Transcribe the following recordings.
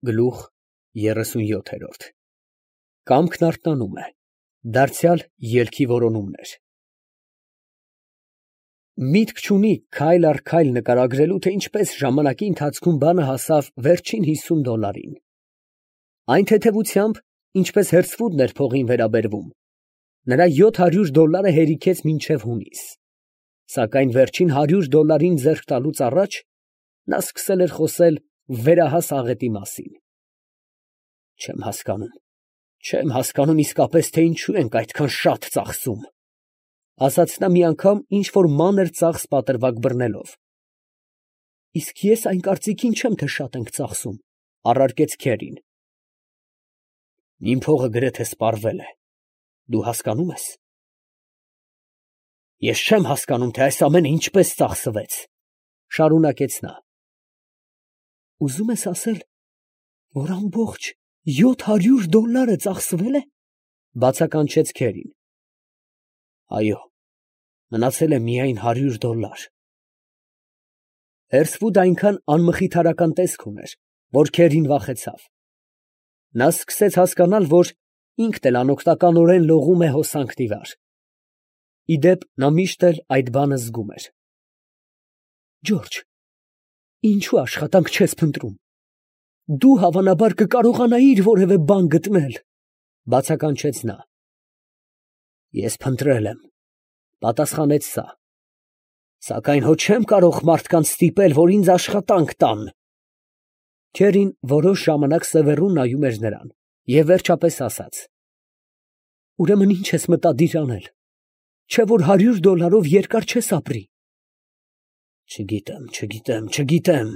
Գլուխ 37 Կամքն արթնանում է, դարձյալ ելքի որոնումներ։ Միտք չունի քայլ առ քայլ նկարագրելու, թե ինչպես ժամանակի ընթացքում բանը հասավ վերջին $50-ին։ Այն թեթևությամբ, ինչպես Հերցվուդն էր փողին վերաբերվում, նրա $700 հերիքեց մինչև հունիս, սակայն վերջին $100 ձեռք տալուց առաջ նա սկսել էր խոսել վերահաս աղետի մասին։ Չեմ հասկանում իսկապես, թե ինչու ենք այդքան շատ ծախսում, ասաց նա մի անգամ ինչ֊որ մանր ծախս պատրվակ բռնելով։ Իսկ ես այն կարծիքին չեմ, թե շատ ենք ծախսում, առարկեց Քերին։ Իմ փողը գրեթե սպառվել է, դու հասկանում ես։ Ես չեմ հասկանում, թե այս ամենը ինչպես ծախսվեց, շարունակեց նա։ Ուզում ես ասել, որ ամբողջ $700 ծախսվել է, բացականչեց Քերին։ Այո, մնացել է միայն $100։ Հերցվուդը այնքան անմխիթարական տեսք ուներ, որ Քերին վախեցավ։ Նա սկսեց հասկանալ, որ ինքն էլ անօգնականորեն լողում է հոսանքն ի վար։ Ի դեպ, նա միշտ էլ այդ բանը զգում էր։ Ջորջ, ինչու աշխատանք չես փնտրում։ Դու հավանաբար կկարողանայիր որևէ բան գտնել, բացականչեց նա։ Ես փնտրել եմ, պատասխանեց սա, սակայն հո չեմ կարող մարդկանց ստիպել, որ ինձ աշխատանք տան։ Քերին որոշ ժամանակ սևեռուն նայում էր նրան և վերջապես ասաց. Ուրեմն ինչ ես մտադիր անել, չէ՞ որ $100-ով երկար չես ապրի։ Չգիտեմ,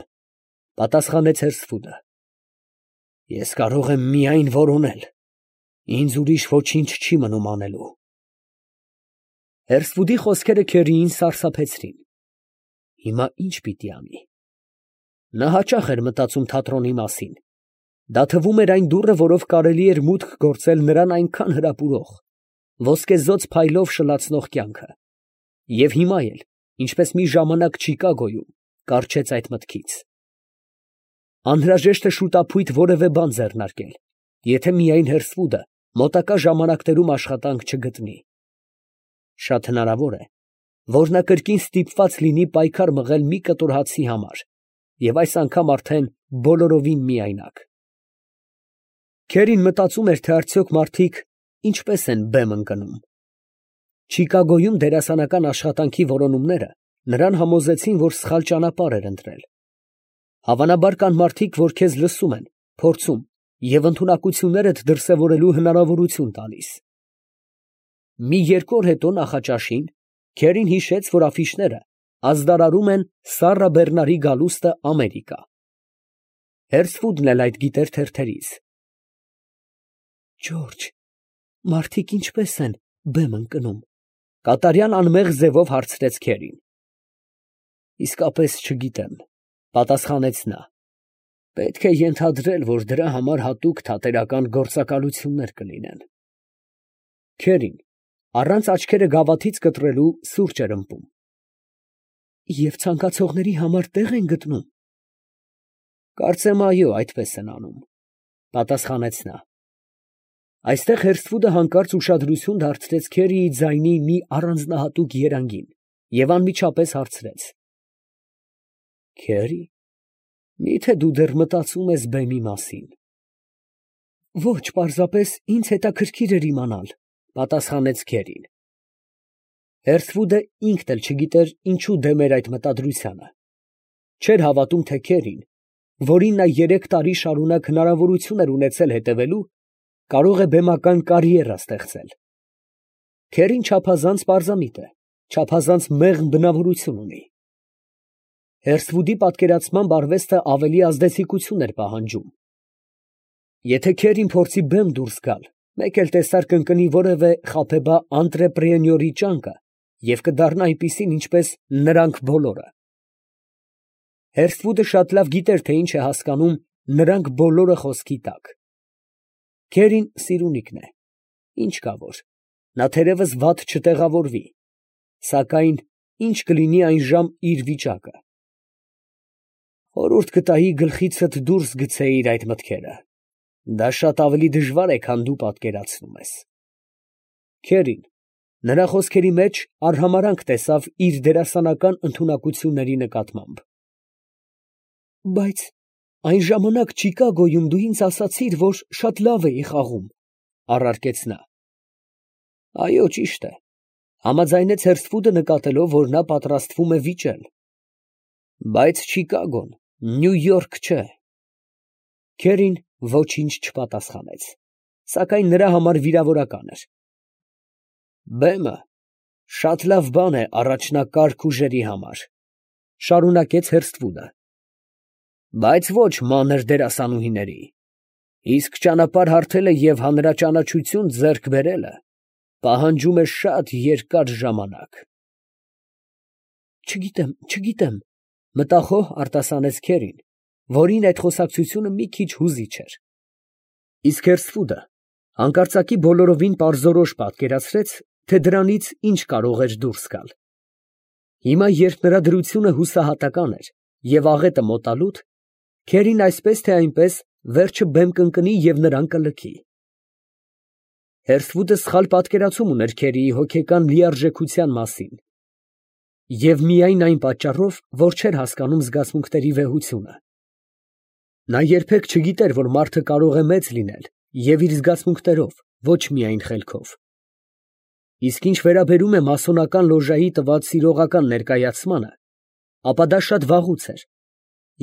պատասխանեց Հերցվուդը։ Ես կարող եմ միայն որոնել, ինձ ուրիշ ոչինչ չի մնում անելու։ Հերցվուդի խոսքերը Քերիին սարսափեցրին։ Հիմա ի՞նչ պիտի անի։ Նա հաճախ էր մտածում թատրոնի մասին։ Դա թվում էր այն դուռը, որով կարելի էր մուտք գործել նրան այնքան հրապուրող, ոսկեզօծ փայլով շլացնող կյանքը։ Եվ հիմա էլ, ինչպես մի ժամանակ Չիկագոյում, կառչեց այդ մտքից։ Անհրաժեշտ է շուտափույթ որևէ բան ձեռնարկել, եթե միայն Հերցվուդը մոտակա ժամանակներում աշխատանք չգտնի։ Շատ հնարավոր է, որ նա կրկին ստիպված լինի պայքար մղել մի կտոր հացի համար, և այս անգամ արդեն բոլորովին միայնակ։ Քերին մտածում էր, թե արդյոք մարդիկ ինչպես են բեմ ընկնում։ Չիկագոյում դերասանական աշխատանքի որոնումները նրան համոզեցին, որ սխալ ճանապարհ էր ընտրել։ Հավանաբար կան մարդիկ, որ քեզ լսում են, փորձում և ընդունակություններդ դրսևորելու հնարավորություն տալիս։ Մի երկու օր հետո նախաճաշին Քերին հիշեց, որ աֆիշները ազդարարում են Սառա Բեռնարի գալուստը Ամերիկա։ Հերցվուդն էլ այդ գիտեր թերթերից։ Ջորջ, մարդիկ ինչպես են բեմ ընկնում, կատարյալ անմեղ ձևով հարցրեց Քերին։ Իսկապես չգիտեմ, պատասխանեց նա։ Պետք է ենթադրել, որ դրա համար հատուկ թատերական գործակալություններ կլինեն։ Քերին առանց աչքերը գավաթից կտրելու սուրճ էր ըմպում։ Եվ ցանկացողների համար տեղ են գտնում։ Կարծեմ այո, այդպես են անում, պատասխանեց նա։ Այստեղ Հերցվուդը հանկարծ ուշադրություն դարձրեց Քերիի ձայնի մի առանձնահատուկ երանգին և անմիջապես հարցրեց. Քերի, մի՞թե դու դեռ մտածում ես բեմի մասին։ Ոչ, պարզապես ինձ հետաքրքիր էր իմանալ, պատասխանեց Քերին։ Հերցվուդը ինքն էլ չգիտեր ինչու դեմ էր այդ մտադրությանը։ Չէր հավատում, թե Քերին, որին նա 3 տարի շարունակ հնարավորություն էր ունեցել հետևելու, կարող է բեմական կարիերա ստեղծել։ Քերին չափազանց պարզամիտ է, չափազանց մեղմ բնավորություն ունի։ Հերցվուդի պատկերացմամբ արվեստը ավելի ազդեցիկություն էր պահանջում։ Եթե Քերին փորձի բեմ դուրս գալ, մեկ էլ տեսար կընկնի որևէ խաբեբա անտրեպրենյորի ճանկը և կդառնա այնպիսին, ինչպես նրանք բոլորը։ Հերցվուդը շատ լավ գիտեր, թե ինչ է հասկանում նրանք բոլորը խոսքի տակ։ Քերին սիրունիկն է, ինչ կա որ, նա թերևս վատ չտեղավորվի, սակայն ինչ կլինի այժմ իր վիճակը։ Օրորդ կտայի գլխիցդ դուրս գցեիր այդ մտքերը. դա շատ ավելի դժվար է, քան դու պատկերացնում ես։ Քերին նրա խոսքերի մեջ արհամարհանք տեսավ իր դերասանական ընդունակությունների նկատմամբ։ Բայց այն ժամանակ Չիկագոյում դու ինձ ասացիր, որ շատ լավ էի խաղում, առարկեց նա։ Այո, ճիշտ է, համաձայնեց Հերսֆուդը, նկատելով, որ նա պատրաստվում է վիճել։ Բայց Չիկագոն Նյու Յորք չէ։ Քերին ոչինչ չպատասխանեց, սակայն նրա համար վիրավորական էր։ Բեմը շատ լավ բան է առաջնակարգ ուժերի համար, շարունակեց Հերսթվուդը, բայց ոչ մանր դերասանուհիների, իսկ ճանապարհ հարթելը և հանրաճանաչություն ձեռք բերելը պահանջում է շատ երկար ժամանակ։ Չգիտեմ, մտախոհ արտասանեց Քերին, որին այդ խոսակցությունը մի քիչ հուզիչ էր։ Իսկ Հերսթվուդը հանկարծակի բոլորովին պարզորոշ պատկերացրեց, թե դրանից ինչ կարող էր դուրս գալ։ Հիմա, երբ նրա դրությունը հուսահատական էր և աղետը մոտալուտ, Քերին այսպես թե այնպես վերջը բեմ կընկնի և նրան կլքի։ Հերսթվուդը սխալ պատկերացում ուներ Քերիի հոգեկան լիարժեքության մասին և միայն այն պատճառով, որ չէր հասկանում զգացմունքների վեհությունը։ Նա երբեք չգիտեր, որ մարդը կարող է մեծ լինել և իր զգացմունքներով, ոչ միայն խելքով։ Իսկ ինչ վերաբերում է մասոնական լոժայի տված սիրողական ներկայացմանը, ապա դա շատ վաղուց էր,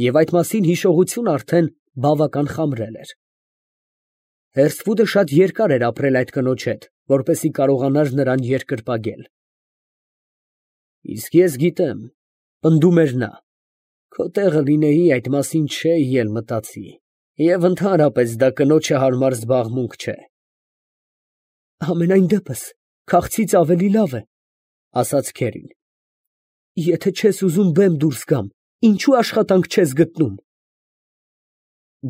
և այդ մասին հիշողությունը արդեն բավական խամրել էր։ Հերսթվուդը շատ երկար էր ապրել այդ կնոջ հետ, որպեսզի կարողանար նրան երկրպագել։ Իսկ ես գիտեմ, պնդում էր նա, քո տեղը լինեի, այդ մասին չէի էլ մտածի, և ընդհանրապես դա կնոջը հարմար զբաղմունք չէ։ Համենայն դեպս, քաղցից ավելի լավ է, ասաց Քերին։ Եթե չես ուզում բեմ դուրս գամ, ինչու աշխատանք չես գտնում։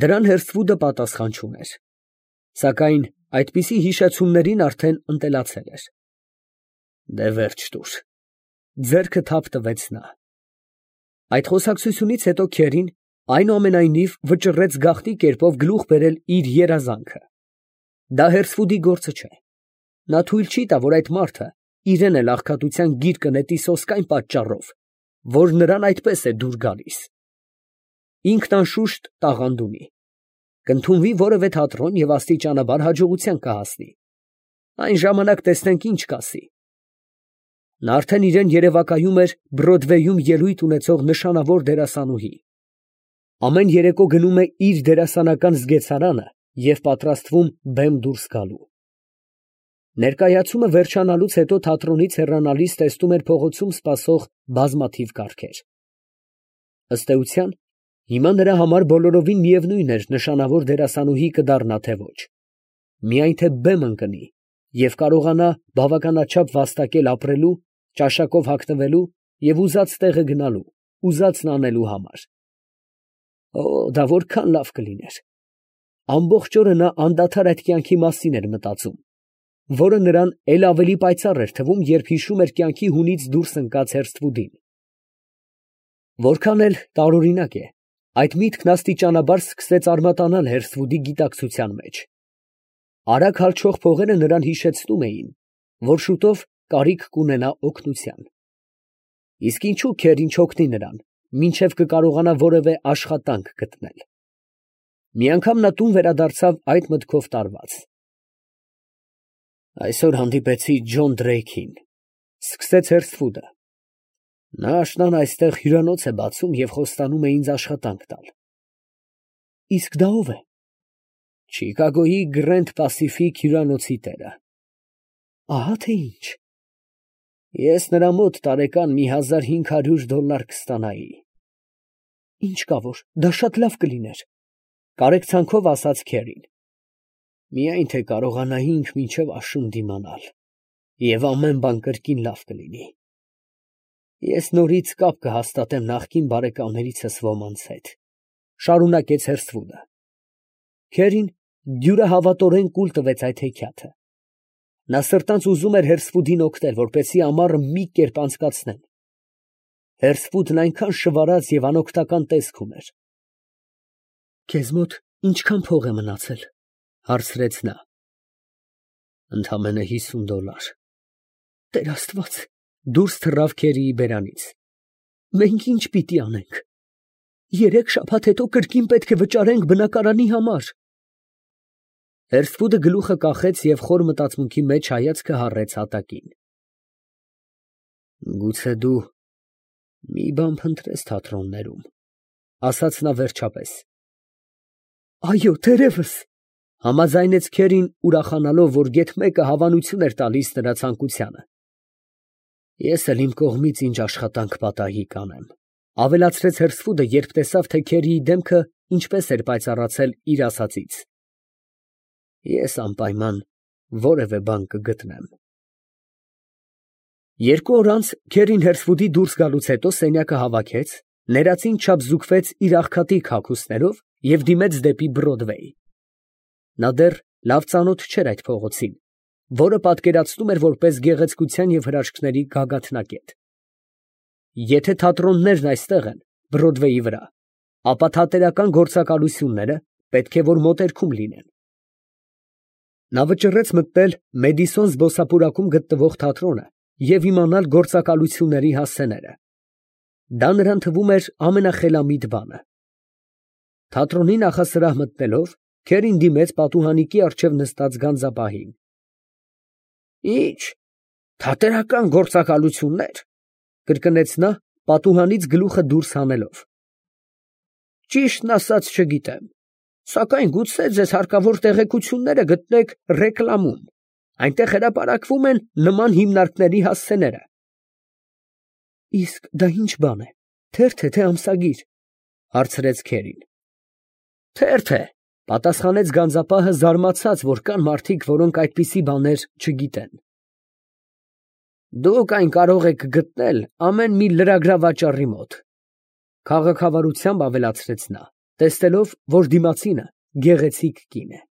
Դրան Հերսթվուդը պատասխան չուներ, սակայն այդպիսի հիշեցումներին արդեն ընտելացել էր։ Դե վերջ տուր, ձեռքը թափ տվեց նա։ Այդ խոսակցությունից հետո Քերին այնուամենայնիվ վճռեց գաղտնի կերպով գլուխ բերել իր երազանքը։ Դա Հերսթվուդի գործը չէ։ Նա թույլ չի տա, որ այդ մարդը իրեն էլ աղքատության գիրկը նետի սոսկ այն պատճառով, որ նրան այդպես է դուր գալիս։ Ինքն անշուշտ տաղանդ ունի, կընդունվի որևէ թատրոն և աստիճանաբար հաջողության կհասնի։ Այն ժամանակ տեսնենք ինչ կասի։ Նա արդեն իրեն երևակայում էր Բրոդվեյում ելույթ ունեցող նշանավոր դերասանուհի։ Ամեն երեկո գնում է իր դերասանական զգեցարանը և պատրաստվում բեմ դուրս գալու։ Ներկայացումը վերջանալուց հետո թատրոնից հեռանալիս տեսնում էր փողոցում սպասող բազմաթիվ կառքեր։ Ըստ էության, հիմա նրա համար բոլորովին միևնույն էր նշանավոր դերասանուհի կդառնա թե ոչ, միայն թե բեմ ընկնի և կարողանա բավականաչափ վաստակել ապրելու, ճաշակով հագնվելու և ուզած տեղը գնալու, ուզածն անելու համար։ Օ, դա որքան լավ կլիներ։ Ամբողջ օրը նա անդադար այդ կյանքի մասին էր մտածում, որը նրան էլ ավելի պայծառ էր թվում, երբ հիշում էր կյանքի հունից դուրս ընկած Հերսթվուդին։ Որքան էլ տարօրինակ է, այդ միտքն աստիճանաբար սկսեց արմատանալ Հերսթվուդի գիտակցության մեջ։ Արագ հալչող փողերը նրան հիշեցնում էին, որ շուտով կարիք կունենա օգնության։ Իսկ ինչու Քերին չօգնի նրան, մինչև կկարողանա որևէ աշխատանք գտնել։ Մի անգամ նա տուն վերադարձավ այդ մտքով տարված։ Այսօր հանդիպեցի Ջոն Դրեյքին, սկսեց Հերսթվուդը։ Նա աշնան այստեղ հյուրանոց է բացում և խոստանում է ինձ աշխատանք տալ։ Իսկ դա ով է։ Չիկագոյի Գրենդ Պասիֆիկ հյուրանոցի տերը։ Ահա թե ինչ։ Ես նրա մոտ տարեկան մի $1500 կստանայի։ Ինչ կա որ, դա շատ լավ կլիներ, կարեկցանքով ասաց Քերին։ Միայն թե կարողանայինք մինչև աշուն դիմանալ, և ամեն բան կրկին լավ կլինի։ Ես նորից կապ կհաստատեմ նախկին բարեկամներիցս ոմանց հետ, շարունակեց Հերսթվուդը։ Քերին դյուրահավատորեն կուլ տվեց այդ հեքիաթը։ Նա սրտանց ուզում էր Հերսթվուդին օգնել, որպեսզի ամառը մի կերպ անցկացնեն։ Հերսվուդն այնքան շվարած և անօգնական տեսք ուներ։ Քեզ մոտ ինչքան փող է մնացել, հարցրեց նա։ Ընդամենը $50։ Տեր Աստված, դուրս թռավ Քերիի բերանից։ Մենք ինչ պիտի անենք։ 3 շաբաթ հետո կրկին պետք է վճարենք բնակարանի համար։ Հերսվուդը գլուխը կախեց և խոր մտածմունքի մեջ հայացքը հառեց հատակին։ Գուցե դու մի բան փնտրես թատրոններում, ասաց նա վերջապես։ Այո, թերևս, համաձայնեց Քերին, ուրախանալով, որ գեթ մեկը հավանություն էր տալիս նրա ցանկությանը։ Ես էլ իմ կողմից ինչ աշխատանք պատահի կանեմ, ավելացրեց Հերսվուդը, երբ տեսավ, թե Քերիի դեմքը ինչպես էր պայծառացել իր ասածից։ Ես անպայման որևէ բան կգտնեմ։ 2 օր անց Քերին Հերսվուդի դուրս գալուց հետո սենյակը հավաքեց, ներածին չափ զուգվեց իր աղքատիկ հագուստներով և դիմեց դեպի Բրոդվեյ։ Նա դեռ լավ ծանոթ չէր այդ փողոցին, որը պատկերացնում էր որպես գեղեցկության և հրաշքների գագաթնակետ։ Եթե թատրոններն այստեղ են, Բրոդվեյի վրա, ապա թատերական գործակալությունները պետք է որ մոտերքում լինեն։ Նա վճռեց մտնել Մեդիսոն զբոսափուրակում գտնվող թատրոնը և իմանալ գործակալությունների հասցեները։ Դա նրան թվում էր ամենախելամիտ բանը։ Թատրոնի նախասրահ մտնելով, Քերին դիմեց պատուհանիկի առջև նստած գանձապահին։ Ի՞նչ, թատերական գործակալություններ, կրկնեց նա, պատուհանից գլուխը դուրս հանելով։ Ճիշտն ասած չգիտեմ, սակայն գուցե ձեզ հարկավոր տեղեկությունները գտնեք ռեկլամում, այնտեղ հրապարակվում են նման հիմնարկների հասցեները։ Իսկ դա ինչ բան է, թերթ է, թե ամսագիր, հարցրեց Քերին։ Թերթ է, պատասխանեց գանձապահը, զարմացած, որ կան մարդիկ, որոնք այդպիսի բաներ չգիտեն։ Դուք այն կարող եք գտնել ամեն մի լրագրավաճառի մոտ, քաղաքավարությամբ ավելացրեց նա, տեսնելով, որ դիմացինը գեղեցիկ կին է։